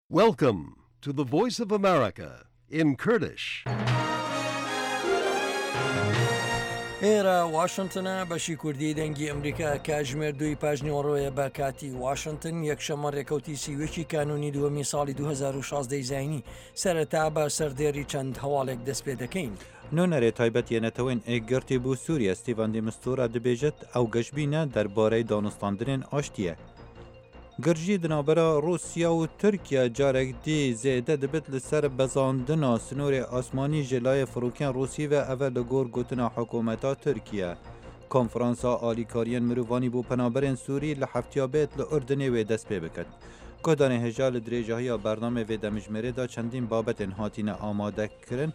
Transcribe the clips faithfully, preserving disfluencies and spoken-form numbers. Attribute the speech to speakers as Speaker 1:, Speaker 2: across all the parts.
Speaker 1: Welcome to the Voice of America in Kurdish.
Speaker 2: ئێرە واشنتنە، بەشی کوردی دەنگی ئەمریکا، کاتژمێر دووی پاژنیوەڕۆیە بە کاتی واشنتن، یەکشەممە ڕێکەوتی سی و یەکی کانونی دووەمی ساڵی دوو هەزار و شازدە ی زاینی. سەرەتا بە سەردێڕی چەند هەواڵێک دەست پێ دەکەین.
Speaker 3: نوێنەرێ تایبەت یە نەتەوەێن ئێکگرتی بۆ سوریە ستیڤان دی مستورا دبێژت ئەو گەشبینە دەربارەی دانوستاندنێن ئاشتیە. گرژی di navbera Rûsya û Tirkiye carek dî zêde dibit li ser bezandina sinorê asmanî ji layê firokên Rûsî ve ev e li gor gotina hikûmeta Tirkiye. Konferansa alîkariyên mirovanî bo penaberên Sûrî li heftiya bêt li Urdunê wê dest pê bikin. Guhdarên hêja li dirêjahiya bernameyê vê demijmêrê de çendîn babetên hatine amadekirin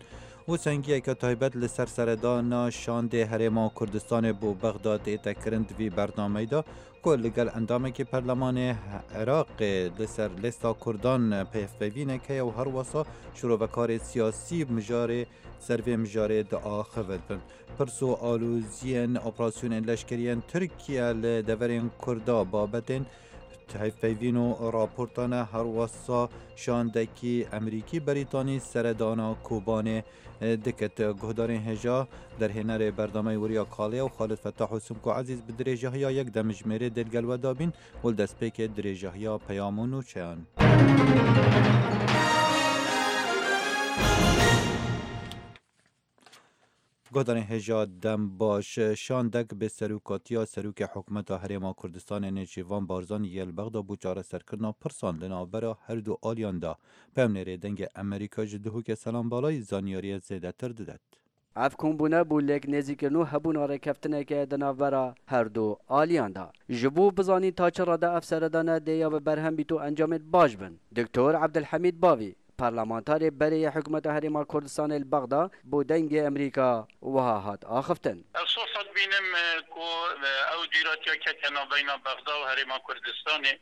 Speaker 3: û sengiyeke taybet li ser seredana şandê Herêma Kurdistanê bo Bexda tê kirin di vî bernameyê de ku li gel endamekî Perlemanê Iraqê li ser lêsta Kurdan peyvpeyvînek heye û her wisa şirovekarê siyasî mijarê ser vê mijarê diaxivin. Pirs û aloziyên operasyonên leşkeriyên Tirkiye li deverên Kurda babetên hevpeyvîn û raportane her wisa şandekî Amerîkî Berîtanî seredana Kobanê diket. Guhdarên hêja derhênerê bernameyê Weriya Kalê û Xalid Fetah û Simko Ezîz bi dirêjahiya yek demijmêrê dê gel we dabîn û li destpêkê dirêjahiya peyam û nûçeyan. Guhdarên hêja dem baş şandek bi serokatiya Serokê Hikûmeta Herêma Kurdistanê Nêçîrvan Barzanî yê li Bexda bû çareserkirina pirsan li navbera her du aliyan de. Peyamnêrê dengê Amerîka ji Duhokê Selam Balayî zanyariyê zêdetir didet.
Speaker 4: Ev kombûne bû lêk nêzîkirin û hebûna rêkeftineke di navbera her du aliyan de. Ji bo bizanîn ta çi rade ev seredane dê ya bi berhem bît û encamên baş bin. Doktor Ebdulhemîd Bavî, parlamentarê berê yê Hikûmeta Herêma Kurdistanê li Bexda bo dengê Amerîka wiha hat axiftin.
Speaker 5: Ez sosa dibînim ku ew dîratiya kete navbeyna Bexda û Herêma Kurdistanê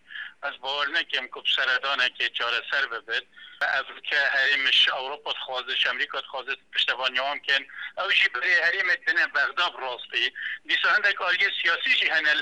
Speaker 5: ez bawer nekim ku bi seredanekê çareser bibit. Ev ke herêm ji Ewropa dixwaze, ji Amerîka dixwaze piştevaniya wan bikin. Ew jî berê herêmê dine Bexda bi rastî. Dîsa hindek aliyê siyasî jî hene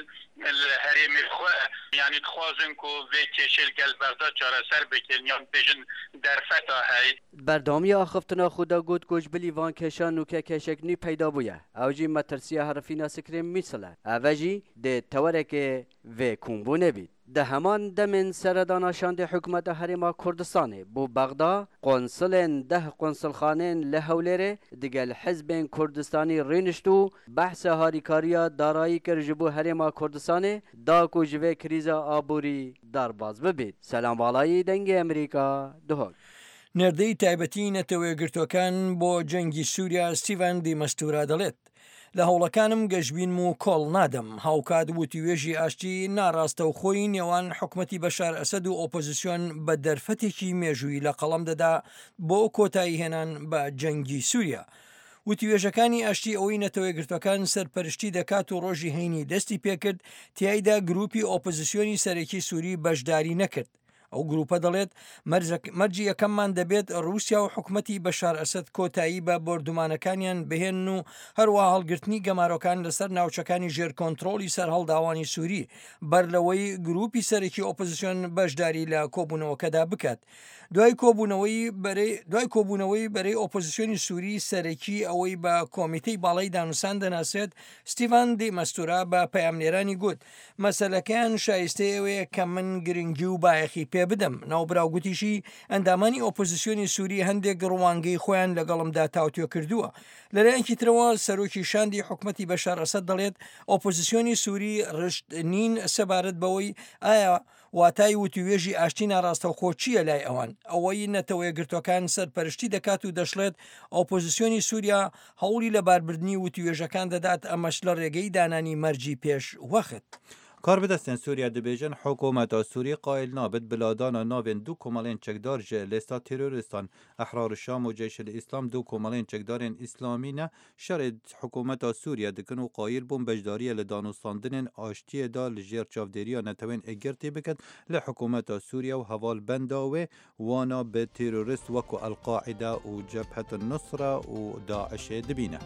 Speaker 5: li herêmê xwe, yanî dixwazin ku vê kêşê li gel Bexda çareser bikin yan bêjin derfeta hey.
Speaker 4: Berdewamiya axiftina xwe de got ku ji bilî van kêşan nûke kêşek nû peyda bûye. Ew jî metirsiya herifîna Sikrê Mîsil e. Ev e jî dê tewerekê vê kombûnê bît. Di heman demên seredana şandê Hikûmeta Herêma Kurdistanê bo Bexda, konsulên deh konsulxanên li Hewlêrê digel hizbên Kurdistanî rênişt û behsa harîkariya darayî kir ji bo Herêma Kurdistanê da ku ji vê krîza aborî derbas bibît. Selam Balayî, Dengê Amerîka, Duhok.
Speaker 2: نێردەی تایبەتی نەتەوەیەکگرتووەکان بۆ جەنگی سووریا ستیڤان دی مەستورا دەڵێت لە هەوڵەکانم گەشبینم و کۆڵ نادەم. هاوکات وتوێژی ئاشتی ناڕاستەوخۆی نێوان حکومەتی بەشار ئەسەد و ئۆپۆزیسیۆن بە دەرفەتێکی مێژوویی لە قەڵەم دەدا بۆ کۆتایی هێنان بە جەنگی سووریا. وتوێژەکانی ئاشتی ئەوەی نەتەوەیەکگرتووەکان سەرپەرشتی دەکات و ڕۆژی هەینی دەستی پێکرد، تیایدا گروپی ئۆپۆزیسیۆنی سەرەکی سووری بەشداری نەکرد. ئەو گروپە دەڵێت مەرجی یەکەممان دەبێت ڕووسیا و حکومەتی بەشار ئەسەد کۆتایی بە بۆردومانەکانیان بهێنن و هەروەها هەڵگرتنی گەمارۆکان لەسەر ناوچەکانی ژێر کۆنترۆڵی سەرهەڵداوانی سووری بەر لەوەی گروپی سەرەکی ئۆپۆزیسیۆن بەشداری لە کۆبوونەوەکەدا بکات. دوای کۆبوونەوەی بەرەی دوای کۆبوونەوەی بەرەی ئۆپۆزیسیۆنی سووری سەرەکی ئەوەی بە کۆمیتەی باڵای دانوسان دەناسێت، ستیڤان دی مەستورا بە پەیامنێرانی گوت مەسەلەکەیان شایستەی ئەوەیە کە من گرنگی و بایەخی پێ بدەم. ناوبراو گوتیشی ئەندامانی ئۆپۆزیسیۆنی سووری هەندێک ڕوانگەی خۆیان لەگەڵمدا تاوتوێ کردووە. لەلایەکی ترەوە سەرۆکی شاندی حکومەتی بەشار ئەسەد دەڵێت ئۆپۆزیسیۆنی سووری ڕشت نین سەبارەت بەوەی ئایا واتای وتوێژی ئاشتی ناڕاستەوخۆ چییە لای ئەوان. ئەوەی نەتەوەیەکگرتووەکان سەرپەرشتی دەکات و دەشڵێت ئۆپۆزیسیۆنی سووریا هەوڵی لەباربردنی وتوێژەکان دەدات، ئەمەش لە ڕێگەی دانانی مەرجی پێش وەخت.
Speaker 3: کاربەدەستên Sûriye dibêjin hikûmeta Sûrî qayil nabit biladana navên du komelên çekdar ji lêsta terorîstan. Ehrar Şam û Ceyşil İslam du komelên çekdarên İslamî ne şerê hikûmeta Sûriye dikin û qayil bûn beşdariyê li danûstandinên aştiyê da li jêr çavdêriya netewên Êgirtî bikin li hikûmeta Sûriye û hevalbenda wê wana bi terorîst wekû El-Qaîde û Cebhet Nusra û Daişê dibîne.